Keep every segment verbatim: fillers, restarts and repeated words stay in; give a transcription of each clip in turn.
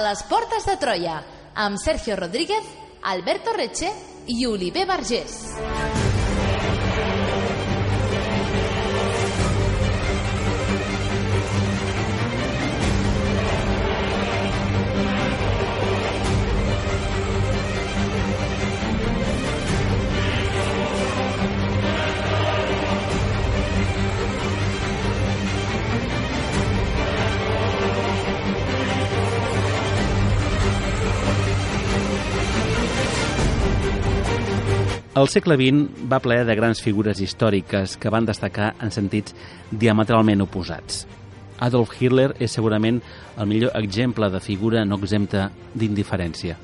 les portes de Troia, amb Sergio Rodríguez, Alberto Reche i Oliver Vergés. El segle vint va ple de grans figures històriques que van destacar en sentits diametralment oposats. Adolf Hitler és segurament el millor exemple de figura no exempta d'indiferència.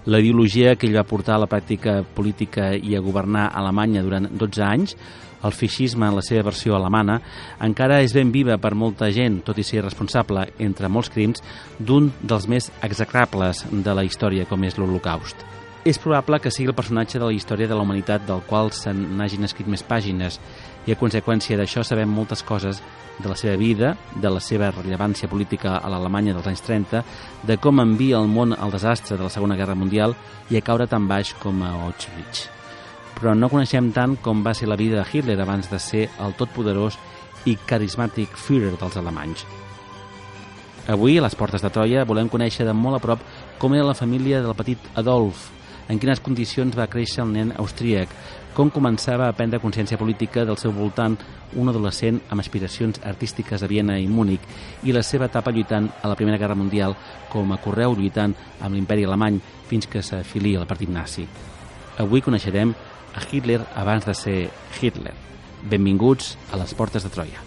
La ideologia que ell va portar a la pràctica política i a governar Alemanya durant dotze anys, el feixisme en la seva versió alemana, encara és ben viva per molta gent, tot i ser responsable, entre molts crims, d'un dels més execrables de la història, com és l'Holocaust. És probable que sigui el personatge de la història de la humanitat del qual se n'hagin escrit més pàgines i a conseqüència d'això sabem moltes coses de la seva vida, de la seva rellevància política a l'Alemanya dels anys trenta, de com envia el món al desastre de la Segona Guerra Mundial i a caure tan baix com a Auschwitz. Però no coneixem tant com va ser la vida de Hitler abans de ser el totpoderós i carismàtic Führer dels alemanys. Avui, a les portes de Troia, volem conèixer de molt a prop com era la família del petit Adolf, en quines condicions va créixer el nen austríac, com començava a prendre consciència política del seu voltant un adolescent amb aspiracions artístiques a Viena i Múnich i la seva etapa lluitant a la Primera Guerra Mundial com a correu lluitant amb l'imperi alemany fins que s'afilia al partit nazi. Avui coneixerem a Hitler abans de ser Hitler. Benvinguts a les portes de Troia.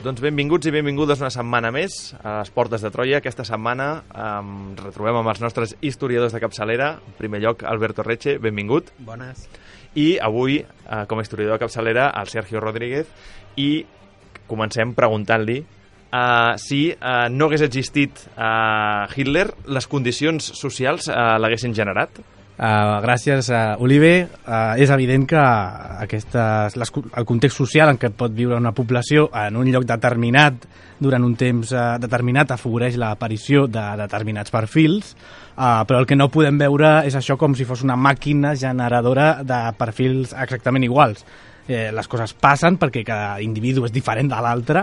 Doncs benvinguts i benvingudes una setmana més a les portes de Troia. Aquesta setmana um, retrobem amb els nostres historiadors de capçalera. En primer lloc, Alberto Reche, benvingut. Bones. I avui, uh, com a historiador de capçalera, el Sergio Rodríguez. I comencem preguntant-li uh, si uh, no hagués existit uh, Hitler, les condicions socials uh, l'haguessin generat? Uh, gràcies, uh, Oliver. Uh, és evident que aquestes, les, el context social en què pot viure una població en un lloc determinat durant un temps uh, determinat afavoreix l'aparició de determinats perfils, uh, però el que no podem veure és això com si fos una màquina generadora de perfils exactament iguals. Eh, les coses passen perquè cada individu és diferent de l'altre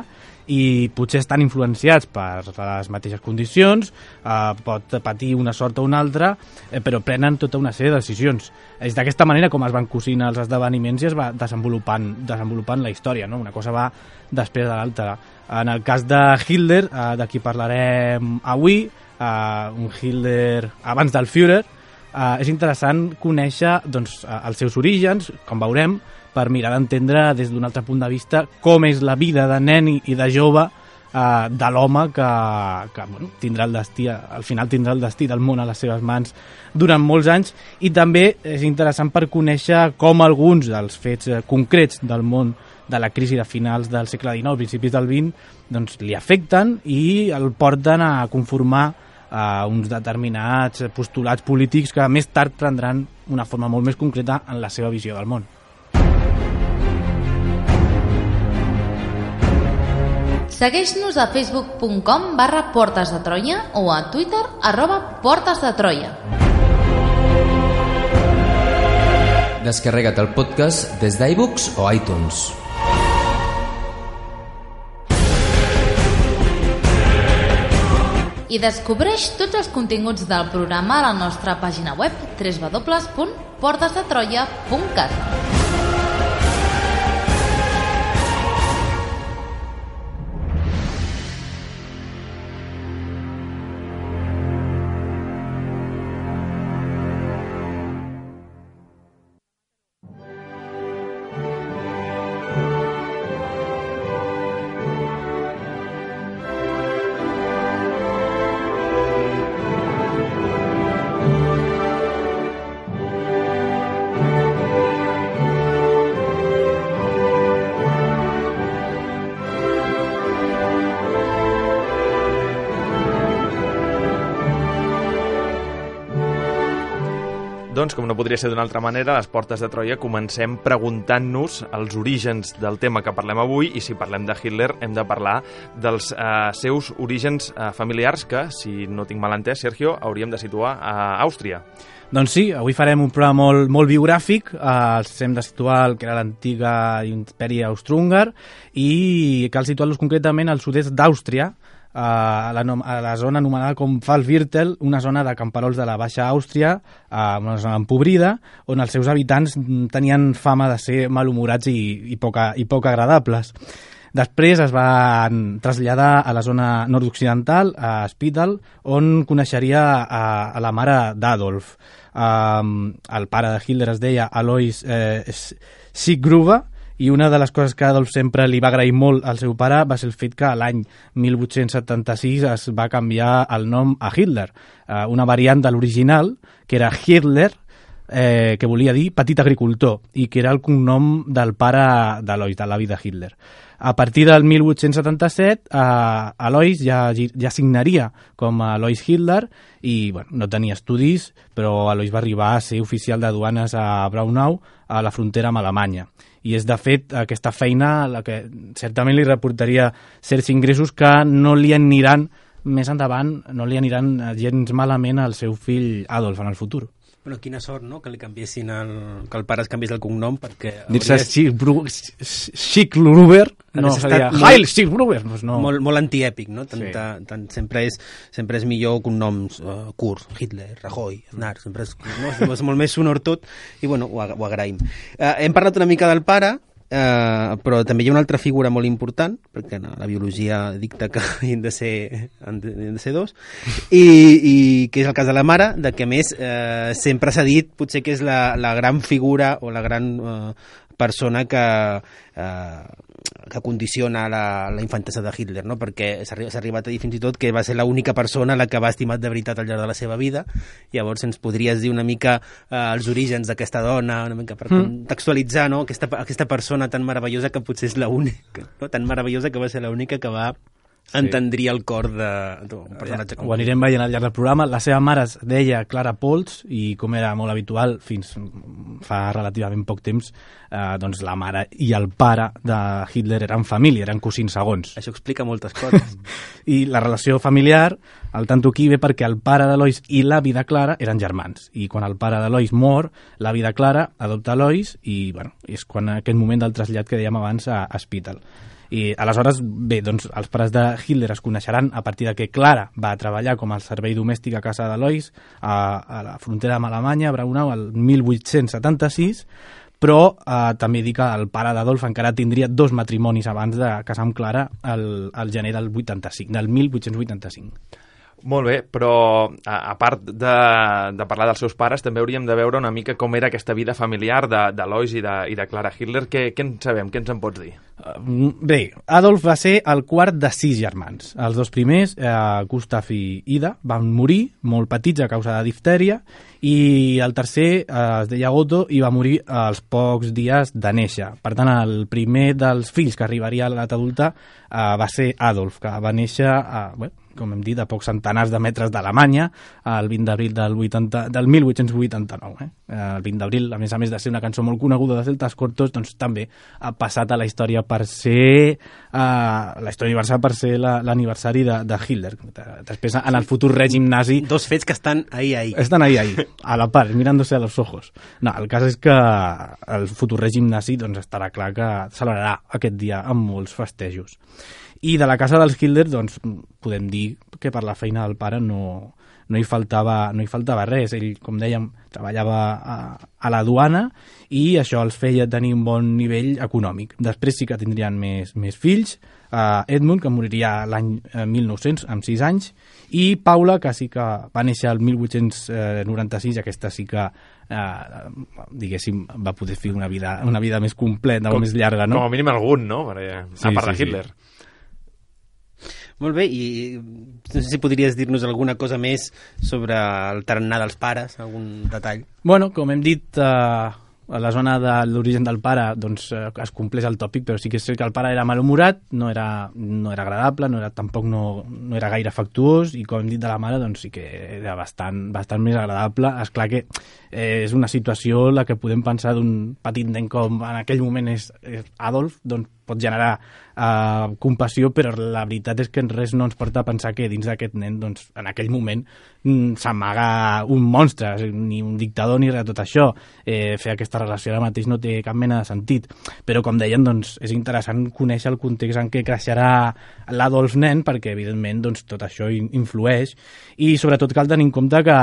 i potser estan influenciats per les mateixes condicions, eh, pot patir una sort o una altra, eh, però prenen tota una sèrie de decisions. És d'aquesta manera com es van cosint els esdeveniments i es va desenvolupant, desenvolupant la història, no? Una cosa va després de l'altra. En el cas de Hitler, eh, de qui parlarem avui, eh, un Hitler abans del Führer, eh, és interessant conèixer doncs, els seus orígens, com veurem, per mirar d'entendre des d'un altre punt de vista com és la vida de nen i de jove eh, de l'home que, que bueno, tindrà el destí, al final tindrà el destí del món a les seves mans durant molts anys, i també és interessant per conèixer com alguns dels fets eh, concrets del món de la crisi de finals del segle dinou, principis del vint, doncs li afecten i el porten a conformar a uns determinats postulats polítics que més tard prendran una forma molt més concreta en la seva visió del món. Segueix-nos a facebook punt com barra Portes de Troia o a Twitter arroba Portes de Troia. Descarrega't el podcast des d'iBooks o iTunes. I descobreix tots els continguts del programa a la nostra pàgina web w w w punt portes de troia punt cat. doncs, com no podria ser d'una altra manera, a les portes de Troia comencem preguntant-nos els orígens del tema que parlem avui, i si parlem de Hitler hem de parlar dels eh, seus orígens eh, familiars que, si no tinc mal entès, Sergio, hauríem de situar a Àustria. Doncs sí, avui farem un programa molt, molt biogràfic, eh, hem de situar el que era l'antiga imperi austro-húngar i cal situar-los concretament al sud-est d'Àustria, a la, a la zona anomenada com Pfalzviertel, una zona de camperols de la Baixa Àustria, una zona empobrida, on els seus habitants tenien fama de ser malhumorats i, i, poc, i poc agradables. Després es van traslladar a la zona nord-occidental, a Spittal, on coneixeria a, a la mare d'Adolf. Um, el pare de Hitler es deia Alois eh, Schickgruber, i una de les coses que Adolf sempre li va agrair molt al seu pare va ser el fet que l'any mil vuit-cents setanta-sis es va canviar el nom a Hitler, eh, una variant de l'original, que era Hitler, eh, que volia dir petit agricultor, i que era el cognom del pare d'Alois, de l'avi de Hitler. A partir del mil vuit-cents setanta-set, eh, Alois ja, ja signaria com a Alois Hitler i bueno, no tenia estudis, però Alois va arribar a ser oficial de duanes a Braunau, a la frontera amb Alemanya. I és, de fet, aquesta feina la que certament li reportaria certs ingressos que no li aniran més endavant, no li aniran gens malament al seu fill Adolf en el futur. Bueno, quina sort, no?, que li canviessin el... que el pare es canviés el cognom, perquè... Dir-se Schickgruber, no seria Heil Schickgruber. Doncs no. Molt, molt antièpic, no? Tant, Sí. tant, tant, sempre, és, sempre és millor cognoms, uh, Kurz, Hitler, Rajoy, Aznar, sempre és, no? és molt més sonor tot, i bueno, ho, ho agraïm. Uh, hem parlat una mica del pare, Uh, però també hi ha una altra figura molt important, perquè no, la biologia dicta que han de ser, han de, han de ser dos, i, i que és el cas de la mare, de que a més uh, sempre s'ha dit potser que és la, la gran figura o la gran uh, persona que, uh, que condiciona la, la infantesa de Hitler, no? Perquè s'ha arribat a dir fins i tot que va ser l'única persona la que va estimat de veritat al llarg de la seva vida. Llavors ens podries dir una mica uh, els orígens d'aquesta dona, una mica per mm. contextualitzar, no? aquesta, aquesta persona tan meravellosa que potser és l'única, no? Tan meravellosa que va ser l'única que va sí. entendria el cor d'un personatge com ho anirem veient al llarg del programa. La seva mare es deia Clara Pols i, com era molt habitual fins fa relativament poc temps, eh, doncs la mare i el pare de Hitler eren família, eren cosins segons. Això explica moltes coses. I la relació familiar, al tanto aquí, ve perquè el pare d'Alois i l'avi de Clara eren germans, i quan el pare d'Alois mor, l'avi de Clara adopta Alois i bueno, és quan aquest moment del trasllat que dèiem abans a, a Spittal. I aleshores, bé, doncs els pares de Hitler es coneixeran a partir de que Clara va treballar com a servei domèstic a casa d'Alois a, a la frontera amb Alemanya, a Braunau, el mil vuit-cents setanta-sis, però eh, també dic que el pare d'Adolf encara tindria dos matrimonis abans de casar amb Clara el, el gener del vuitanta-cinc, del mil vuit-cents vuitanta-cinc. Molt bé, però a, a part de, de parlar dels seus pares, també hauríem de veure una mica com era aquesta vida familiar d'Alois i, de, i de Clara Hitler. Què, què en sabem? Què ens en pots dir? Uh, bé, Adolf va ser el quart de sis germans. Els dos primers, eh, Gustav i Ida, van morir molt petits a causa de diftèria, i el tercer eh, es deia Otto i va morir als pocs dies de néixer. Per tant, el primer dels fills que arribaria a l'edat adulta eh, va ser Adolf, que va néixer a... Bueno, com hem dit, a pocs centenars de metres d'Alemanya, el vint d'abril del, del mil vuit-cents vuitanta-nou. Eh? El vint d'abril, a més a més de ser una cançó molt coneguda de Celtas Cortos, doncs també ha passat a la història per ser uh, la història universal per ser l'aniversari de, de Hitler. Després, en el futur règim nazi... Dos fets que estan ahí, ahí. Estan ahí, ahí, a la par, mirándose a los ojos. No, el cas és que el futur règim nazi doncs, estarà clar que celebrarà aquest dia amb molts festejos. I de la casa dels Hitler, doncs, podem dir que per la feina del pare no, no, hi faltava, no hi faltava res. Ell, com dèiem, treballava a, a la duana i això els feia tenir un bon nivell econòmic. Després sí que tindrien més, més fills, uh, Edmund, que moriria l'any mil nou-cents, amb sis anys, i Paula, que sí que va néixer el mil vuit-cents noranta-sis, aquesta sí que Uh, diguéssim, va poder fer una vida, una vida més completa o més llarga, no? Com a mínim algun, no? Perquè, sí, a part sí, de Hitler. Sí. Molt bé, i no sé si podries dir-nos alguna cosa més sobre el tarannà dels pares, algun detall? Bueno, com hem dit, uh, a la zona de l'origen del pare doncs, es compleix el tòpic, però sí que és cert que el pare era malhumorat, no era, no era agradable, no era, tampoc no, no era gaire afectuós, i com hem dit de la mare, doncs sí que era bastant, bastant més agradable. Esclar que eh, és una situació la que podem pensar d'un petit nen com en aquell moment és, és Adolf, doncs pot generar eh, compassió, però la veritat és que res no ens porta a pensar que dins d'aquest nen, doncs, en aquell moment, mm, s'amaga un monstre, ni un dictador ni res de tot això. Eh, fer aquesta relació ara mateix no té cap mena de sentit. Però, com deien, doncs, és interessant conèixer el context en què creixerà l'Adolf nen, perquè, evidentment, doncs, tot això influeix. I, sobretot, cal tenir en compte que,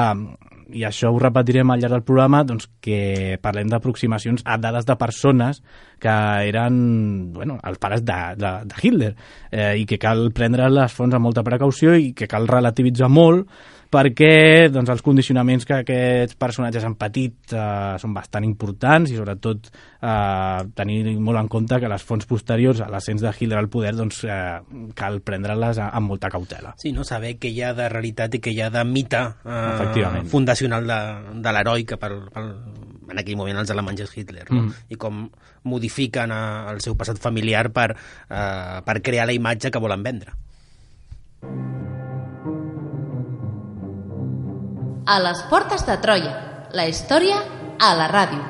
i això ho repetirem al llarg del programa, doncs que parlem d'aproximacions a dades de persones que eren, bueno, els pares de, de, de Hitler, eh, i que cal prendre les fonts amb molta precaució i que cal relativitzar molt, perquè doncs, els condicionaments que aquests personatges han patit eh, són bastant importants, i sobretot eh, tenir molt en compte que les fonts posteriors a l'ascens de Hitler al poder doncs, eh, cal prendre-les amb molta cautela. Sí, no? Saber què hi ha de realitat i què hi ha de mite eh, fundacional de, de l'heroi que per, per, en aquell moment els alemanys és Hitler, no? Mm. I com modifiquen eh, el seu passat familiar per, eh, per crear la imatge que volen vendre. A les portes de Troia, la història a la ràdio.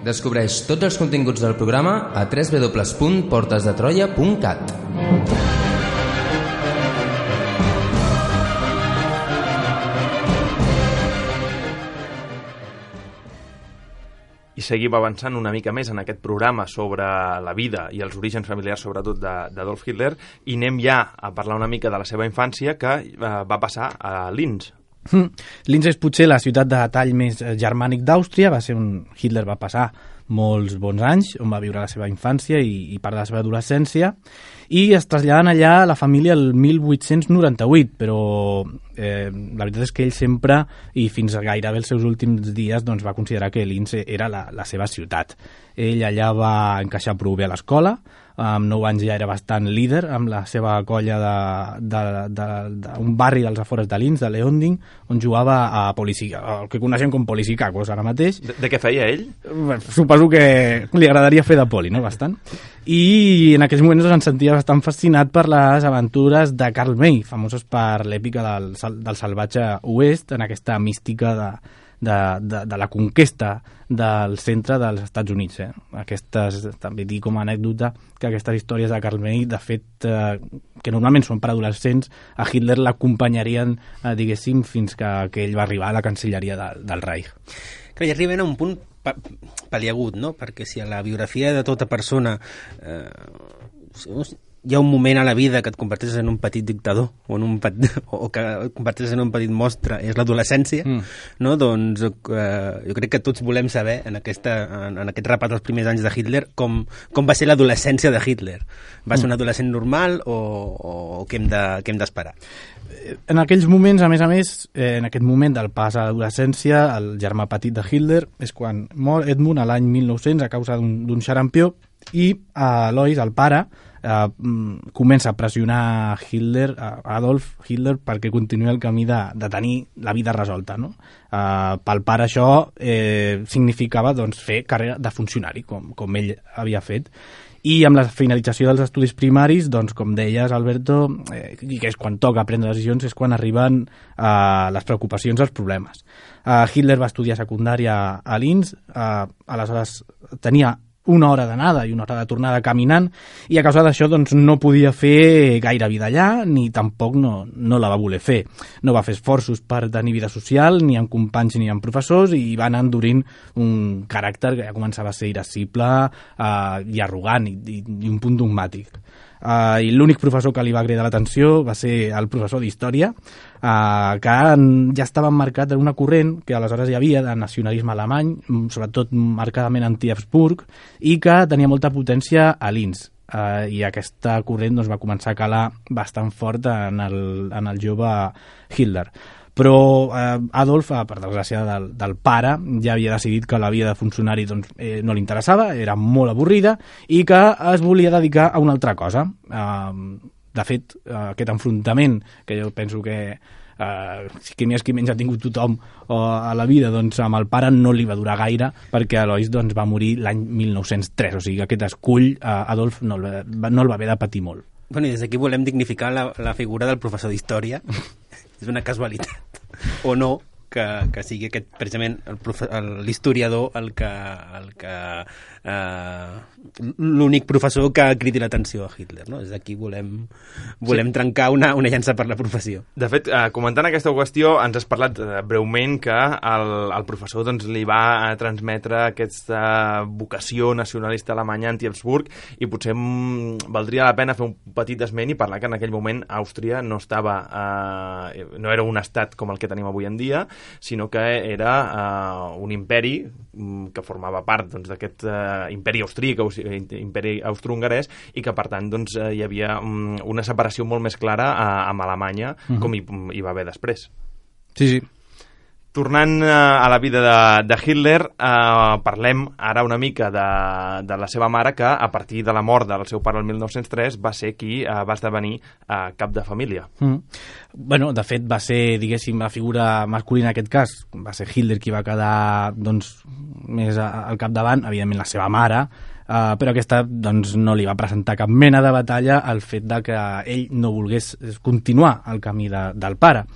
Descobreix tots els continguts del programa a w w w punt portes de troia punt cat. I seguim avançant una mica més en aquest programa sobre la vida i els orígens familiars, sobretot d'Adolf Hitler, i anem ja a parlar una mica de la seva infància, que eh, va passar a Linz. Mm. Linz és potser la ciutat de tall més germànic d'Àustria. Va ser un... Hitler va passar molts bons anys on va viure la seva infància i, i part de la seva adolescència, i es traslladen allà la família el mil vuit-cents noranta-vuit, però eh, la veritat és que ell sempre, i fins a gairebé els seus últims dies, doncs, va considerar que Linz era la, la seva ciutat. Ell allà va encaixar prou bé a l'escola, amb nou anys ja era bastant líder amb la seva colla d'un barri dels afores de Linz, de Leonding, on jugava a Polisica, el que coneixem com Polisicacos ara mateix. De, de què feia ell? Bueno, suposo que li agradaria fer de poli, no? Bastant. I en aquells moments doncs, em sentia bastant fascinat per les aventures de Karl May, famosos per l'èpica del, del salvatge oest, en aquesta mística de, de, de, de la conquesta del centre dels Estats Units. Eh? Aquestes, també dic com a anècdota que aquestes històries de Karl May, de fet, eh, que normalment són per adolescents, a Hitler l'acompanyarien, eh, diguéssim, fins que, que ell va arribar a la cancelleria de, del Reich. Que hi arriben a un punt paliagut, no? Perquè si a la biografia de tota persona eh, hi ha un moment a la vida que et converteixes en un petit dictador o, en un petit, o que et converteixes en un petit monstre, és l'adolescència, mm. no? Doncs eh, jo crec que tots volem saber en, aquesta, en, en aquest repat dels primers anys de Hitler com, com va ser l'adolescència de Hitler. Va ser un adolescent normal o, o què hem de, què hem d'esperar? En aquells moments, a més a més, eh, en aquest moment del pas a l'adolescència, el germà petit de Hitler és quan mor Edmund a l'any mil nou-cents a causa d'un xarampió, i Alois, el pare, eh, comença a pressionar Hitler, a Adolf Hitler, perquè continuï el camí de, de tenir la vida resolta, no? Eh, pel pare això eh, significava doncs, fer carrera de funcionari, com, com ell havia fet. I amb la finalització dels estudis primaris, doncs, com deies, Alberto, eh, i que és quan toca prendre decisions, és quan arriben eh, les preocupacions, els problemes. Eh, Hitler va estudiar secundària a Linz, eh, aleshores tenia una hora d'anada i una hora de tornada caminant, i a causa d'això doncs, no podia fer gaire vida allà, ni tampoc no, no la va voler fer. No va fer esforços per tenir vida social, ni amb companys ni amb professors, i va anar endurint un caràcter que ja començava a ser irascible eh, i arrogant, i, i, i un punt dogmàtic. Uh, i l'únic professor que li va cridar l'atenció va ser el professor d'història, uh, que ja estava emmarcat en una corrent que aleshores hi havia de nacionalisme alemany, sobretot marcadament anti-Habsburg, i que tenia molta potència a Linz. Uh, I aquesta corrent doncs, va començar a calar bastant fort en el, en el jove Hitler. Però eh, Adolf, per desgràcia del, del pare, ja havia decidit que la vida de funcionari doncs, eh, no li interessava, era molt avorrida, i que es volia dedicar a una altra cosa. Eh, de fet, eh, aquest enfrontament, que jo penso que eh, que més que menys ha tingut tothom o a la vida, doncs amb el pare no li va durar gaire, perquè Alois doncs, va morir l'any mil nou-cents tres, o sigui que aquest escull eh, Adolf no el, va, no el va haver de patir molt. Bueno, i des d'aquí volem dignificar la, la figura del professor d'història. És una casualitat, o no, que, que sigui aquest, precisament, l'historiador el que, el que eh, l'únic professor que cridi l'atenció a Hitler, no? Des d'aquí volem, volem sí. trencar una, una llança per la professió. De fet, eh, comentant aquesta qüestió, ens has parlat eh, breument que el, el professor doncs, li va transmetre aquesta vocació nacionalista alemanya anti-Habsburg, i potser mm, valdria la pena fer un petit esment i parlar que en aquell moment Àustria no estava eh, no era un estat com el que tenim avui en dia, sinó que era uh, un imperi um, que formava part doncs, d'aquest uh, imperi austríac, imperi austro-hongarès, i que per tant doncs, uh, hi havia um, una separació molt més clara uh, amb Alemanya, uh-huh. com hi, hi va haver després. Sí, sí. Tornant uh, a la vida de, de Hitler, uh, parlem ara una mica de, de la seva mare, que a partir de la mort del seu pare el mil nou-cents tres va ser qui uh, va esdevenir uh, cap de família. Mm. Bueno, de fet va ser, diguéssim, la figura masculina en aquest cas, va ser Hitler qui va quedar doncs, més al capdavant, evidentment la seva mare, uh, però aquesta doncs, no li va presentar cap mena de batalla al fet de que ell no volgués continuar el camí de, del pare.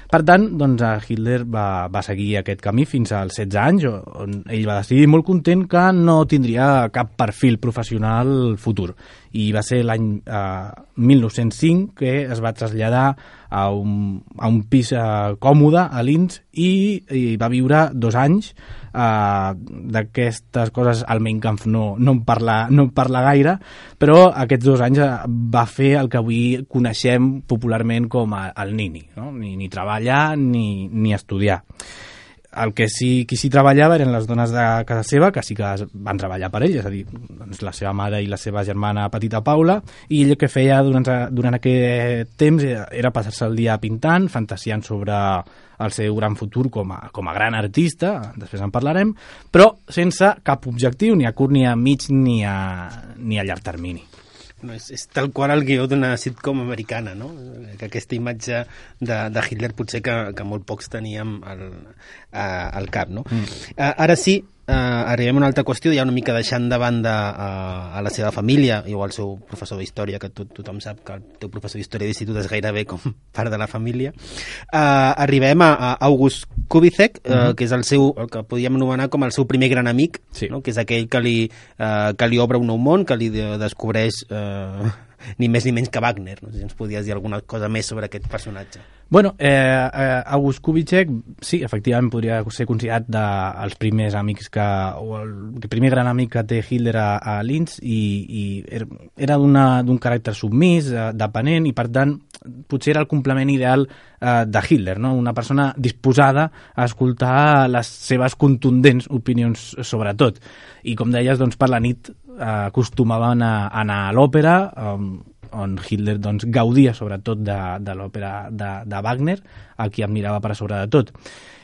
Per tant, doncs, Hitler va, va seguir aquest camí fins als setze anys, on ell va decidir molt content que no tindria cap perfil professional futur. I va ser l'any eh, mil nou-cents cinc que es va traslladar a un, a un pis eh, còmode a Linz i, i va viure dos anys. Uh, d'aquestes coses al Mein Kampf no, no, en parla, no en parla gaire, però aquests dos anys va fer el que avui coneixem popularment com a, el nini, no? ni, ni treballar ni, ni estudiar. El que sí, qui sí treballava eren les dones de casa seva, que sí que van treballar per ell, és a dir, doncs la seva mare i la seva germana petita Paula, i ell el que feia durant, durant aquest temps era passar-se el dia pintant, fantasiant sobre el seu gran futur com a, com a gran artista, després en parlarem, però sense cap objectiu, ni a curt, ni a mig, ni a, ni a llarg termini. No, és, és tal qual el guió d'una sitcom americana, no? Que aquesta imatge de, de Hitler potser que, que molt pocs teníem al, a, al cap, no? Mm. Uh, ara sí, Uh, arribem a una altra qüestió, ja una mica deixant de banda uh, a la seva família o al seu professor d'història, que tot, tothom sap que el teu professor d'història d'institut és gairebé com part de la família. Uh, arribem a, a August Kubitschek, uh, uh-huh. que és el seu, el que podríem anomenar com el seu primer gran amic, sí. no? Que és aquell que li, uh, que li obre un nou món, que li de, descobreix uh, ni més ni menys que Wagner. No sé si ens podies dir alguna cosa més sobre aquest personatge. Bueno, eh, eh, August Kubitschek, sí, efectivament podria ser considerat dels primers amics que, o el, el primer gran amic que té Hitler a, a Linz, i, i era d'un caràcter submís, eh, dependent, i per tant potser era el complement ideal eh, de Hitler, no? Una persona disposada a escoltar les seves contundents opinions sobre tot. I com deies, doncs, per la nit eh, acostumaven a, a anar a l'òpera, eh, on Hitler doncs, gaudia sobretot de, de l'òpera de, de Wagner, a qui admirava per sobre de tot.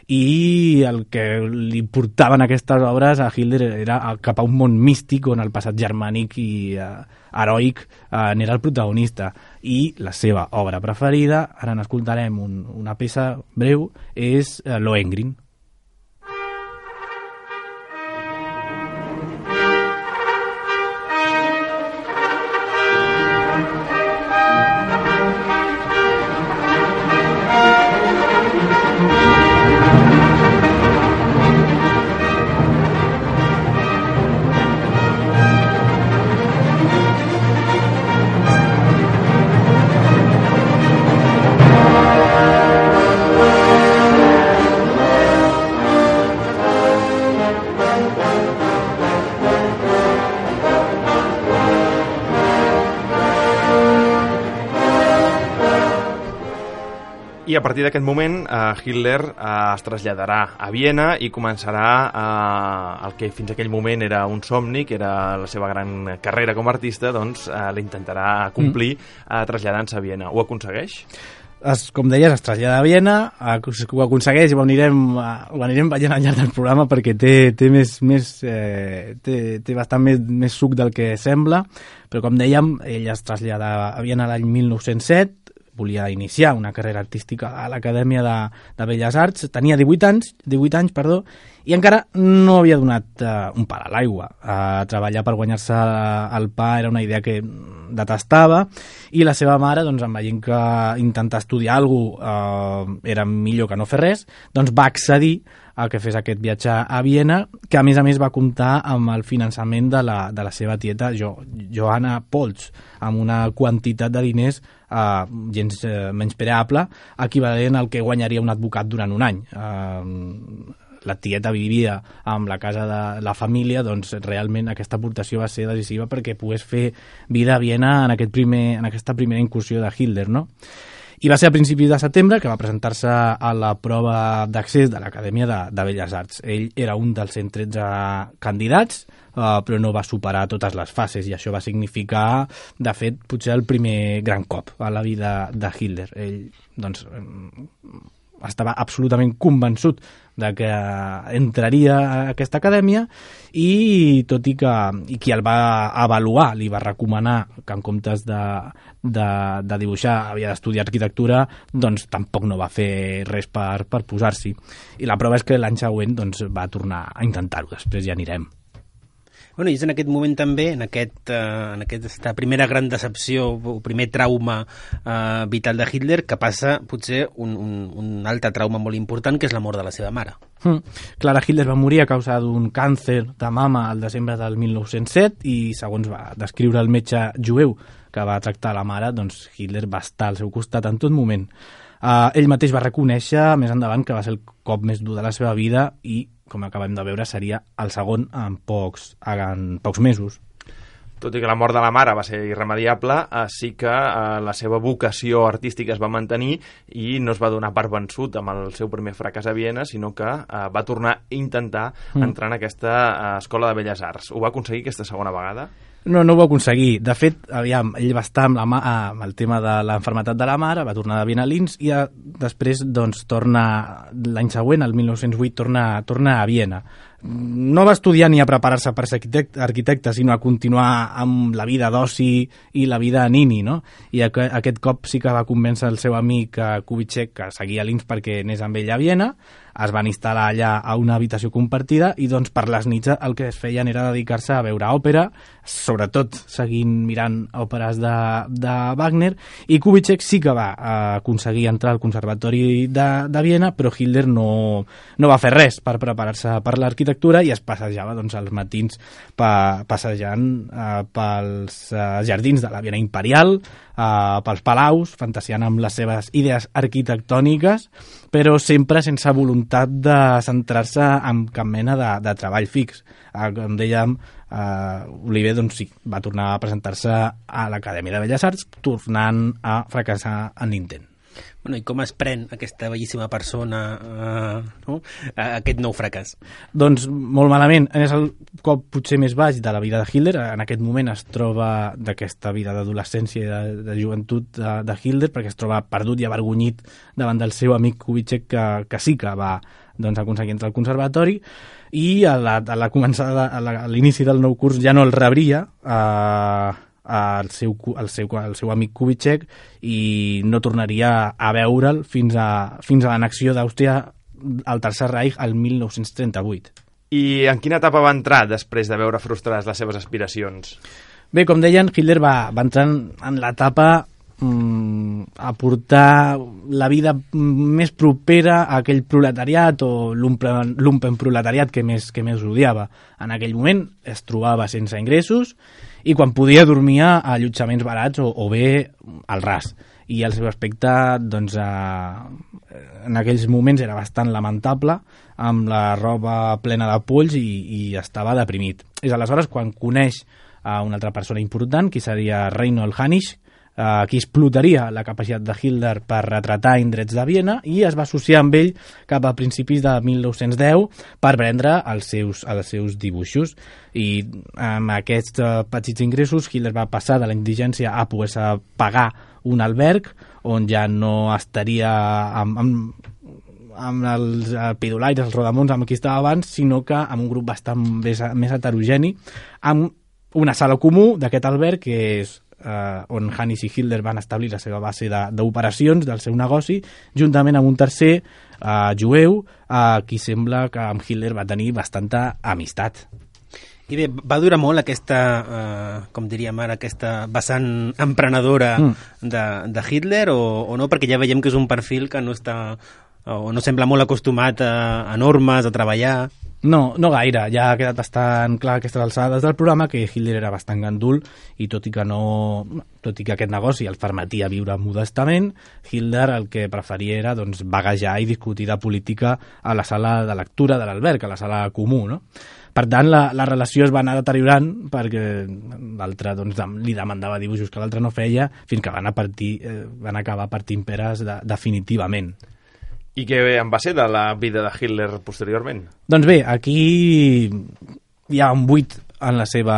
I el que li portaven aquestes obres a Hitler era cap a un món místic on el passat germànic i eh, heroic eh, n'era el protagonista. I la seva obra preferida, ara n'escoltarem un, una peça breu, és eh, Lohengrin. I a partir d'aquest moment eh, Hitler eh, es traslladarà a Viena i començarà eh, el que fins aquell moment era un somni, que era la seva gran carrera com a artista, doncs eh, l'intentarà complir eh, traslladant-se a Viena. Ho aconsegueix? Es, com deies, es trasllada a Viena, ho aconsegueix i ho anirem, ho anirem veient al llarg del programa perquè té, té, més, més, eh, té, té bastant més, més suc del que sembla, però com dèiem, ell es trasllada a Viena l'any mil nou-cents set, volia iniciar una carrera artística a l'Acadèmia de, de Belles Arts, tenia divuit anys, divuit anys, perdó, i encara no havia donat uh, un pal a l'aigua. Uh, treballar per guanyar-se el pa era una idea que detestava, i la seva mare, doncs, en veient que intentar estudiar alguna cosa uh, era millor que no fer res, doncs va accedir a que fes aquest viatge a Viena, que a més a més va comptar amb el finançament de la, de la seva tieta jo, Johanna Polz, amb una quantitat de diners eh, gens eh, menyspreable, equivalent al que guanyaria un advocat durant un any. Eh, la tieta vivia amb la casa de la família, doncs realment aquesta aportació va ser decisiva perquè pogués fer vida a Viena en, aquest primer, en aquesta primera incursió de Hitler, no? I va ser a principis de setembre que va presentar-se a la prova d'accés de l'Acadèmia de, de Belles Arts. Ell era un dels cent tretze candidats, uh, però no va superar totes les fases, i això va significar, de fet, potser el primer gran cop a la vida de Hitler. Ell, doncs, estava absolutament convençut de que entraria a aquesta acadèmia, i tot i que i qui el va avaluar li va recomanar que en comptes de, de, de dibuixar havia d'estudiar arquitectura, doncs tampoc no va fer res per, per posar-s'hi. I la prova és que l'any següent doncs, va tornar a intentar-ho, després ja anirem. Bueno, i és en aquest moment també, en, aquest, uh, en aquesta primera gran decepció o primer trauma uh, vital de Hitler, que passa potser un, un, un altre trauma molt important, que és la mort de la seva mare. Mm. Clara Hitler va morir a causa d'un càncer de mama al desembre del mil nou-cents set, i segons va descriure el metge jueu que va tractar la mare, doncs Hitler va estar al seu costat en tot moment. Uh, ell mateix va reconèixer més endavant que va ser el cop més dur de la seva vida, i com acabem de veure, seria el segon en pocs, en pocs mesos. Tot i que la mort de la mare va ser irremediable, eh, sí que eh, la seva vocació artística es va mantenir i no es va donar per vençut amb el seu primer fracàs a Viena, sinó que eh, va tornar a intentar mm. entrar en aquesta eh, escola de Belles Arts. Ho va aconseguir aquesta segona vegada? No, no ho va aconseguir. De fet, aviam, ell va estar amb, la, amb el tema de l'enfermetat de la mare, va tornar de Viena a Linz, i a, després, doncs, torna l'any següent, el mil nou-cents vuit, torna, torna a Viena. No va estudiar ni a preparar-se per ser arquitecte, arquitecte, sinó a continuar amb la vida d'oci i la vida nini, no? I aqu aquest cop sí que va convèncer el seu amic Kubitschek, que seguia a Linz perquè anés amb ell a Viena. Es van instal·lar allà a una habitació compartida, i doncs per les nits el que es feien era dedicar-se a veure òpera, sobretot seguint mirant òperes de, de Wagner, i Kubitschek sí que va eh, aconseguir entrar al Conservatori de, de Viena, però Hitler no, no va fer res per preparar-se per l'arquitectura, i es passejava doncs, als matins pa, passejant eh, pels eh, jardins de la Viena Imperial, eh, pels palaus, fantasiant amb les seves idees arquitectòniques, però sempre sense voluntat de centrar-se en cap mena de, de treball fix. Eh, com dèiem, eh, Oliver doncs, sí, va tornar a presentar-se a l'Acadèmia de Belles Arts, tornant a fracassar en l'intent. Bueno, i com es pren aquesta bellíssima persona uh, no? aquest nou fracàs? Doncs molt malament. És el cop potser més baix de la vida de Hitler. En aquest moment es troba d'aquesta vida d'adolescència i de, de joventut de, de Hitler, perquè es troba perdut i avergonyit davant del seu amic Kubitschek, que, que sí que va doncs, aconseguir entrar al conservatori, i a la, a la començada, a l'inici del nou curs ja no el rebria eh, el seu, el seu, el seu amic Kubitschek, i no tornaria a veure'l fins a, fins a l'annexió d'Àustria al Tercer Reich el mil nou-cents trenta-vuit. I en quina etapa va entrar després de veure frustrades les seves aspiracions? Bé, com deien, Hitler va, va entrar en, en l'etapa mm, a portar la vida més propera a aquell proletariat o lumpen proletariat que més, que més odiava. En aquell moment es trobava sense ingressos, i quan podia dormia a allotjaments barats o, o bé al ras. I el seu aspecte, doncs, eh, en aquells moments era bastant lamentable, amb la roba plena de polls, i, i estava deprimit. És aleshores quan coneix a una altra persona important, qui seria Reinhold Hanich, Uh, qui explotaria la capacitat de Hitler per retratar indrets de Viena, i es va associar amb ell cap a principis de mil nou-cents deu per prendre els seus, els seus dibuixos. I amb aquests uh, petits ingressos Hitler va passar de la indigència a poder pagar un alberg on ja no estaria amb, amb, amb els pidolaires, els rodamons amb qui estava abans, sinó que amb un grup bastant més, més heterogeni, amb una sala comú d'aquest alberg que és eh, on Hannes i Hitler van establir la seva base d'operacions del seu negoci, juntament amb un tercer eh, jueu, a qui sembla que amb Hitler va tenir bastanta amistat. I bé, va durar molt aquesta, eh, com diríem ara, aquesta vessant emprenedora mm. de, de Hitler o, o no? Perquè ja veiem que és un perfil que no està, o no sembla molt acostumat a, a normes, a treballar. No, no gaire. Ja ha quedat bastant clar a aquestes alçades del programa que Hitler era bastant gandul i tot i que no, tot i que aquest negoci el permetia viure modestament, Hitler el que preferia era doncs, vaguejar i discutir de política a la sala de lectura de l'alberg, a la sala comú, no? Per tant, la, la relació es va anar deteriorant perquè l'altre doncs, li demandava dibuixos que l'altre no feia fins que van, a partir, eh, van acabar partint peres de, definitivament. I què en va ser de la vida de Hitler posteriorment? Doncs bé, aquí hi ha un buit en la seva...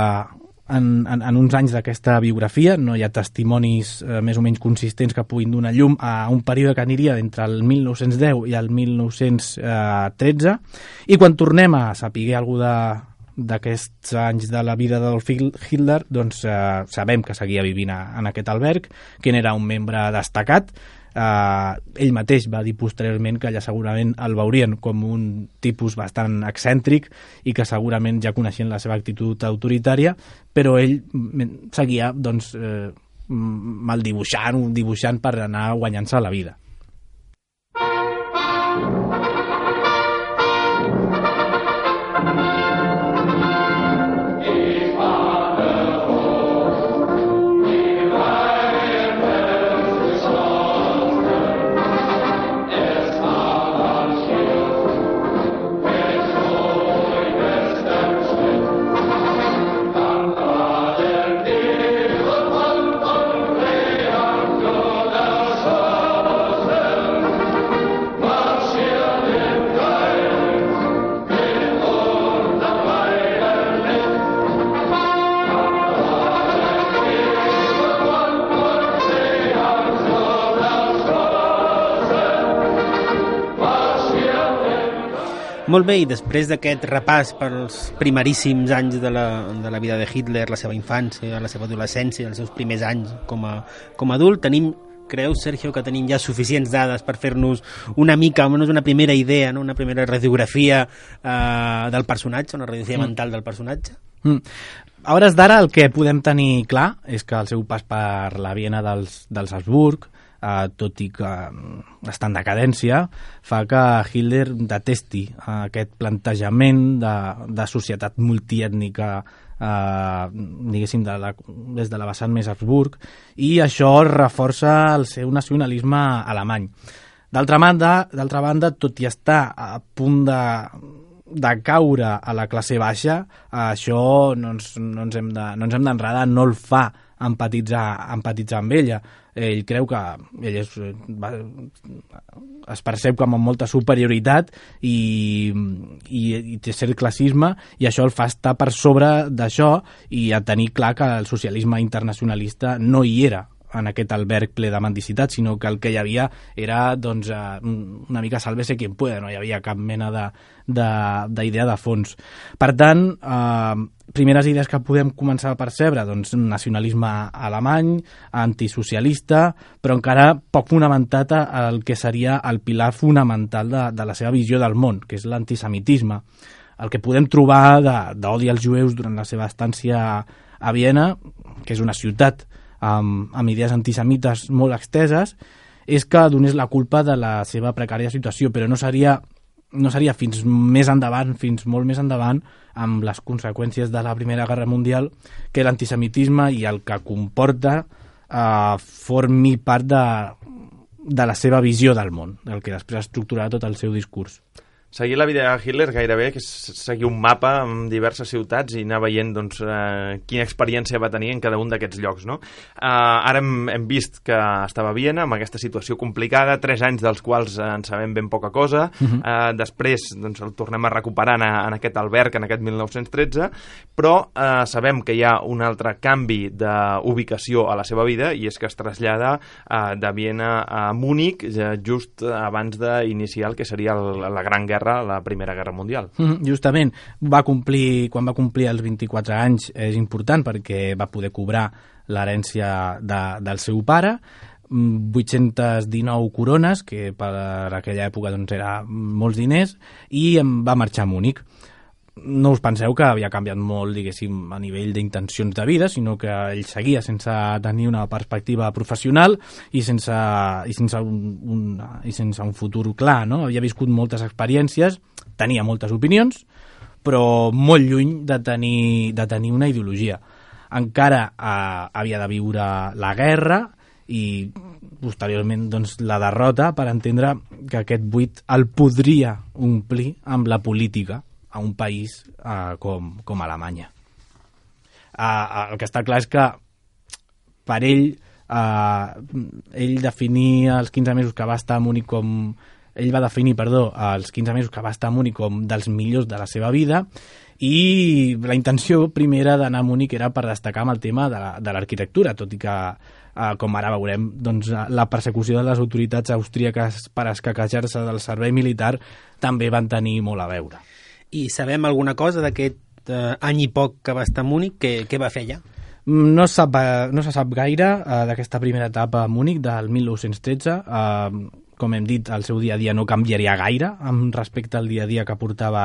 En, en, en uns anys d'aquesta biografia, no hi ha testimonis eh, més o menys consistents que puguin donar llum a un període que aniria entre el mil nou-cents deu i el mil nou-cents tretze, i quan tornem a saber alguna d'aquests anys de la vida d'Adolf Hitler, doncs eh, sabem que seguia vivint a, en aquest alberg, que n'era un membre destacat. Uh, ell mateix va dir posteriorment que ja segurament el veurien com un tipus bastant excèntric i que segurament ja coneixien la seva actitud autoritària, però ell seguia doncs, eh, mal dibuixant, dibuixant per anar guanyant-se la vida. Molt bé, i després d'aquest repàs pels primeríssims anys de la, de la vida de Hitler, la seva infància, la seva adolescència, els seus primers anys com a, com a adult, tenim, creus, Sergio, que tenim ja suficients dades per fer-nos una mica, almenys una primera idea, no? Una primera radiografia eh, del personatge, una radiografia mm. mental del personatge? Mm. A hores d'ara el que podem tenir clar és que el seu pas per la Viena dels, dels Habsburg, Uh, tot i que està en decadència, fa que Hitler detesti uh, aquest plantejament de, de societat multiètnica uh, diguéssim de la, des de la vessant més Habsburg, i això reforça el seu nacionalisme alemany. D'altra banda, d'altra banda, tot i estar a punt de de caure a la classe baixa, això no ens, no ens hem de, no ens hem d'enredar, no el fa empatitzar, empatitzar amb ella. Ell creu que ell és, va, es percep com amb molta superioritat i, i, i té cert classisme, i això el fa estar per sobre d'això i a tenir clar que el socialisme internacionalista no hi era en aquest alberg ple de mendicitat, sinó que el que hi havia era doncs, una mica sálvese quien pueda, no hi havia cap mena d'idea de, de, de fons. Per tant, eh, primeres idees que podem començar a percebre, doncs nacionalisme alemany, antisocialista, però encara poc fonamentat al que seria el pilar fonamental de, de la seva visió del món, que és l'antisemitisme. El que podem trobar d'odi als jueus durant la seva estància a Viena, que és una ciutat amb, amb idees antisemites molt exteses, és que donés la culpa de la seva precària situació, però no seria, no seria fins més endavant, fins molt més endavant, amb les conseqüències de la Primera Guerra Mundial, que l'antisemitisme i el que comporta eh, formi part de, de la seva visió del món, del que després estructurarà tot el seu discurs. Seguir la vida de Hitler gairebé que és seguir un mapa amb diverses ciutats i anar veient doncs, eh, quina experiència va tenir en cada un d'aquests llocs. No? Eh, ara hem, hem vist que estava a Viena amb aquesta situació complicada, tres anys dels quals en sabem ben poca cosa. Uh-huh. eh, després doncs, el tornem a recuperar en, en aquest alberg, en aquest mil nou-cents tretze, però eh, sabem que hi ha un altre canvi d'ubicació a la seva vida, i és que es trasllada eh, de Viena a Múnich eh, just abans d'iniciar el que seria el, la Gran Guerra guerra, la Primera Guerra Mundial. Mm, justament, va complir, quan va complir els vint-i-quatre anys és important perquè va poder cobrar l'herència de, del seu pare, vuit-centes dinou corones, que per aquella època doncs, era molts diners, i em va marxar a Múnich. No us penseu que havia canviat molt, diguéssim, a nivell d'intencions de vida, sinó que ell seguia sense tenir una perspectiva professional i sense, i sense, un, un, i sense un futur clar, no? Havia viscut moltes experiències, tenia moltes opinions, però molt lluny de tenir, de tenir una ideologia. Encara eh, havia de viure la guerra i posteriorment doncs, la derrota per entendre que aquest buit el podria omplir amb la política a un país uh, com, com Alemanya. Uh, el que està clar és que per ell, uh, ell definia els quinze mesos que va estar a Múnich com... Ell va definir, perdó, els quinze mesos que va estar a Múnich com dels millors de la seva vida i la intenció primera d'anar a Múnich era per destacar amb el tema de l'arquitectura, tot i que, uh, com ara veurem, doncs, la persecució de les autoritats austríaques per escaquejar-se del servei militar també van tenir molt a veure. I sabem alguna cosa d'aquest eh, any i poc que va estar a Múnich? Què, què va fer allà? No, sap, no se sap gaire uh, d'aquesta primera etapa a Múnich del mil nou-cents tretze. Uh, com hem dit, el seu dia a dia no canviaria gaire amb respecte al dia a dia que portava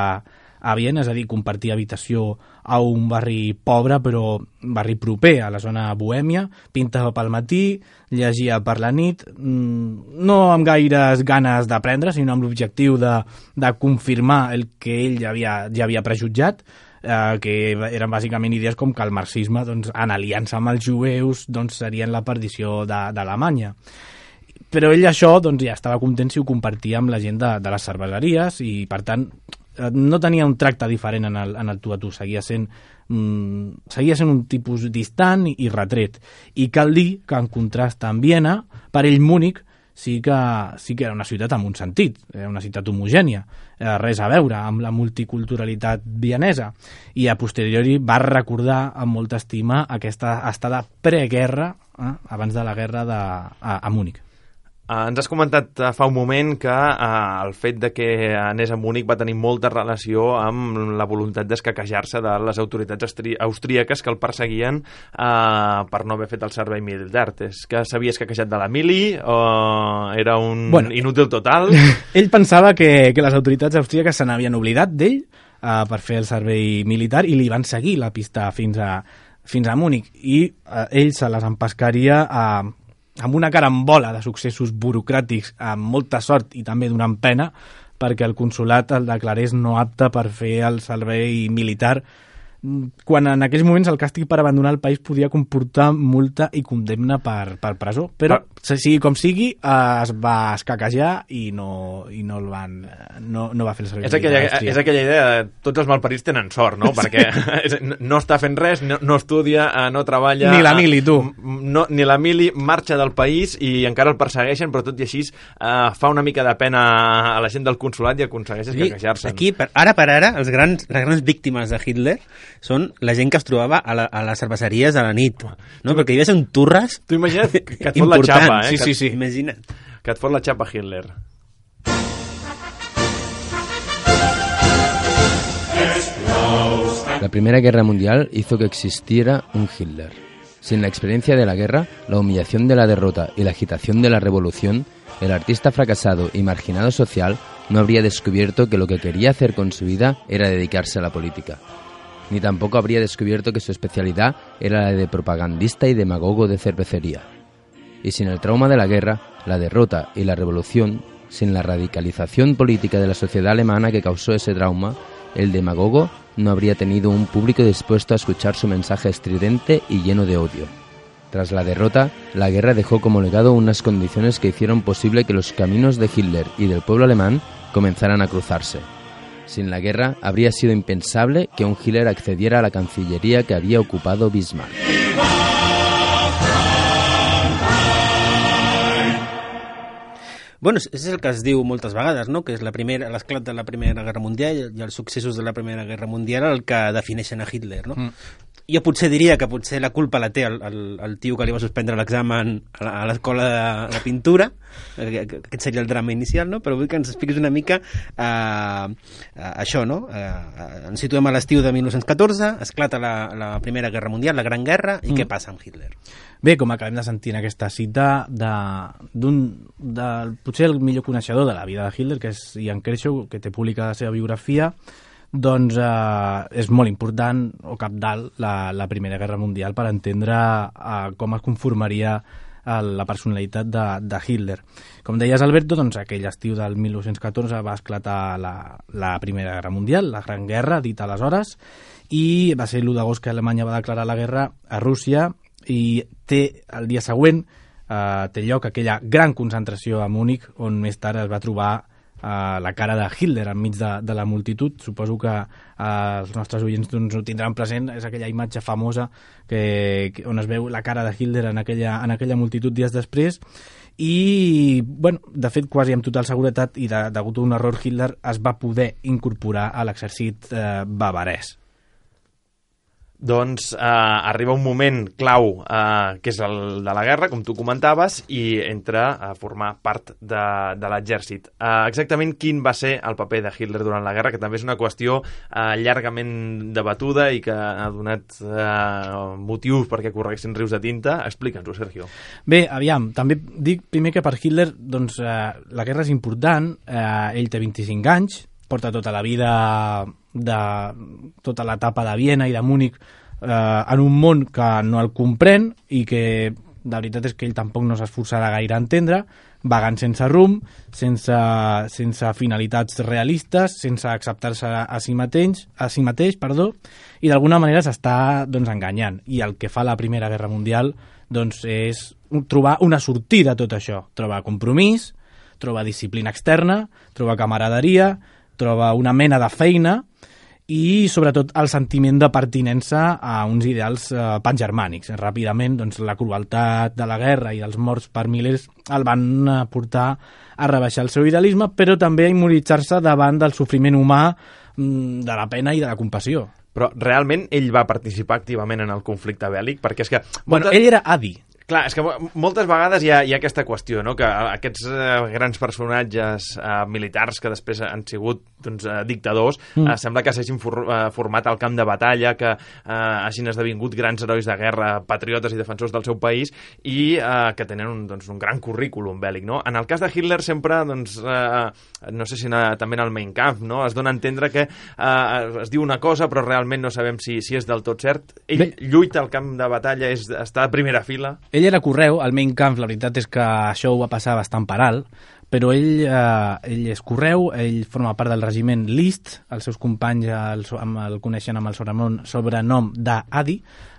a Viena, és a dir, compartir habitació a un barri pobre però barri proper a la zona bohèmia, pintava pel matí, llegia per la nit, no amb gaires ganes d'aprendre, sinó amb l'objectiu de, de confirmar el que ell ja havia, ja havia prejutjat, eh, que eren bàsicament idees com que el marxisme, doncs, en aliança amb els jueus, doncs, serien la perdició d'Alemanya. Però ell això doncs, ja estava content si ho compartia amb la gent de, de les cerveseries i, per tant, no tenia un tracte diferent en el, en el tu a tu, seguia sent, mm, seguia sent un tipus distant i, i retret. I cal dir que en contrast amb Viena, per ell Múnich sí que, sí que era una ciutat amb un sentit, era una ciutat homogènia, eh, res a veure amb la multiculturalitat vienesa, i a posteriori va recordar amb molta estima aquesta estada preguerra, eh, abans de la guerra de, a, a Múnich. Uh, ens has comentat uh, fa un moment que uh, el fet de que anés a Múnich va tenir molta relació amb la voluntat d'escaquejar-se de les autoritats austríaques que el perseguien uh, per no haver fet el servei militar. És que s'havia escaquejat de la mili o era un bueno, inútil total? Ell pensava que, que les autoritats austríaques se n'havien oblidat d'ell uh, per fer el servei militar i li van seguir la pista fins a, fins a Múnich i uh, ell se les empescaria a... Uh, amb una carambola de successos burocràtics, amb molta sort i també donant pena, perquè el consolat el declarés no apte per fer el servei militar, quan en aquells moments el càstig per abandonar el país podia comportar multa i condemna per, per presó. Però, ah. sigui com sigui, es va escaquejar i no, i no el van... No, no va fer el servei és aquella, militar. És aquella idea de tots els malparits tenen sort, no? Sí. Perquè no està fent res, no, no estudia, no treballa... Ni la mili, tu. No, ni la mili marxa del país i encara el persegueixen, però tot i així uh, fa una mica de pena a la gent del consolat i aconsegueix escaquejar-se. Aquí, per, ara per ara, els grans, les grans víctimes de Hitler són la gent que es trobava a, la, a les cerveseries a la nit, no? Perquè hi havia un turres. Tu imagina't que et fot la xapa, eh? Sí, sí, sí. Imagina't. Que et fot la xapa Hitler. La Primera Guerra Mundial hizo que existiera un Hitler. Sin la experiencia de la guerra, la humillación de la derrota y la agitación de la revolución, el artista fracasado y marginado social no habría descubierto que lo que quería hacer con su vida era dedicarse a la política. Ni tampoco habría descubierto que su especialidad era la de propagandista y demagogo de cervecería. Y sin el trauma de la guerra, la derrota y la revolución, sin la radicalización política de la sociedad alemana que causó ese trauma, el demagogo no habría tenido un público dispuesto a escuchar su mensaje estridente y lleno de odio. Tras la derrota, la guerra dejó como legado unas condiciones que hicieron posible que los caminos de Hitler y del pueblo alemán comenzaran a cruzarse. Sin la guerra, habría sido impensable que un Hitler accediera a la cancillería que había ocupado Bismarck. Bueno, és el que es diu moltes vegades, no? Que és la primera, l'esclat de la Primera Guerra Mundial i els successos de la Primera Guerra Mundial el que defineixen a Hitler, no? Mm. jo potser diria que potser la culpa la té el, el, el tio que li va suspendre l'examen a la- a l'escola de, de pintura, que- que- aquest seria el drama inicial, no? Però vull que ens expliquis una mica eh, eh, això, no? Eh, eh, ens situem a l'estiu de mil nou-cents catorze, esclata la, la Primera Guerra Mundial, la Gran Guerra, i Mm. què passa amb Hitler? Bé, com acabem de sentir en aquesta cita de, d'un, del, potser el millor coneixedor de la vida de Hitler, que és Ian Kershaw, que té publicada la seva biografia, doncs eh, és molt important o cabdal la, la Primera Guerra Mundial per entendre eh, com es conformaria eh, la personalitat de, de Hitler. Com deies, Alberto, doncs aquell estiu del mil nou-cents catorze va esclatar la, la Primera Guerra Mundial, la Gran Guerra, dit aleshores, i va ser l'u d'agost que Alemanya va declarar la guerra a Rússia, i té el dia següent eh, té lloc aquella gran concentració a Múnich, on més tard es va trobar Uh, la cara de Hitler enmig de, de la multitud. Suposo que uh, els nostres oients doncs, ho tindran present, és aquella imatge famosa que, que, on es veu la cara de Hitler en aquella, en aquella multitud dies després, i bueno, de fet quasi amb total seguretat i de, degut a un error Hitler es va poder incorporar a l'exèrcit uh, bavarès. Doncs eh, arriba un moment clau, eh, que és el de la guerra, com tu comentaves, i entra a formar part de, de l'exèrcit. Eh, exactament quin va ser el paper de Hitler durant la guerra, que també és una qüestió eh, llargament debatuda i que ha donat eh, motius perquè correguessin rius de tinta. Explica'ns-ho, Sergio. Bé, aviam, també dic primer que per Hitler doncs, eh, la guerra és important, eh, ell té vint-i-cinc anys, porta tota la vida de tota l'etapa de Viena i de Múnich eh, en un món que no el comprèn i que la veritat és que ell tampoc no s'esforçarà gaire a entendre, vagant sense rumb, sense, sense finalitats realistes, sense acceptar-se a si mateix, a si mateix perdó, i d'alguna manera s'està doncs, enganyant. I el que fa la Primera Guerra Mundial doncs, és trobar una sortida a tot això. Trobar compromís, trobar disciplina externa, trobar camaraderia, troba una mena de feina i, sobretot, el sentiment de pertinença a uns ideals eh, pangermànics. Ràpidament, doncs, la crueltat de la guerra i els morts per milers el van eh, portar a rebaixar el seu idealisme, però també a immortalitzar-se davant del sofriment humà, mm, de la pena i de la compassió. Però realment ell va participar activament en el conflicte bèl·lic? Perquè és que... Bueno, moltes- ell era adi. Clar, és que mo- moltes vegades hi ha, hi ha aquesta qüestió, no? Que aquests eh, grans personatges eh, militars que després han sigut doncs, eh, dictadors, mm. eh, sembla que s'hagin for, eh, format al camp de batalla, que eh, hagin esdevingut grans herois de guerra, patriotes i defensors del seu país, i eh, que tenen un, doncs, un gran currículum bèl·lic, no? En el cas de Hitler sempre, doncs, eh, no sé si na, també en el Mein Kampf, no? Es dona a entendre que eh, es diu una cosa, però realment no sabem si, si és del tot cert. Ell Bé. lluita al camp de batalla, és, està a primera fila. Ell era correu, al Mein Kampf la veritat és que això ho va passar bastant per alt, però ell, eh, ell és correu, ell forma part del regiment List, els seus companys el, amb, el coneixen amb el sobrenom, sobrenom d'Adi,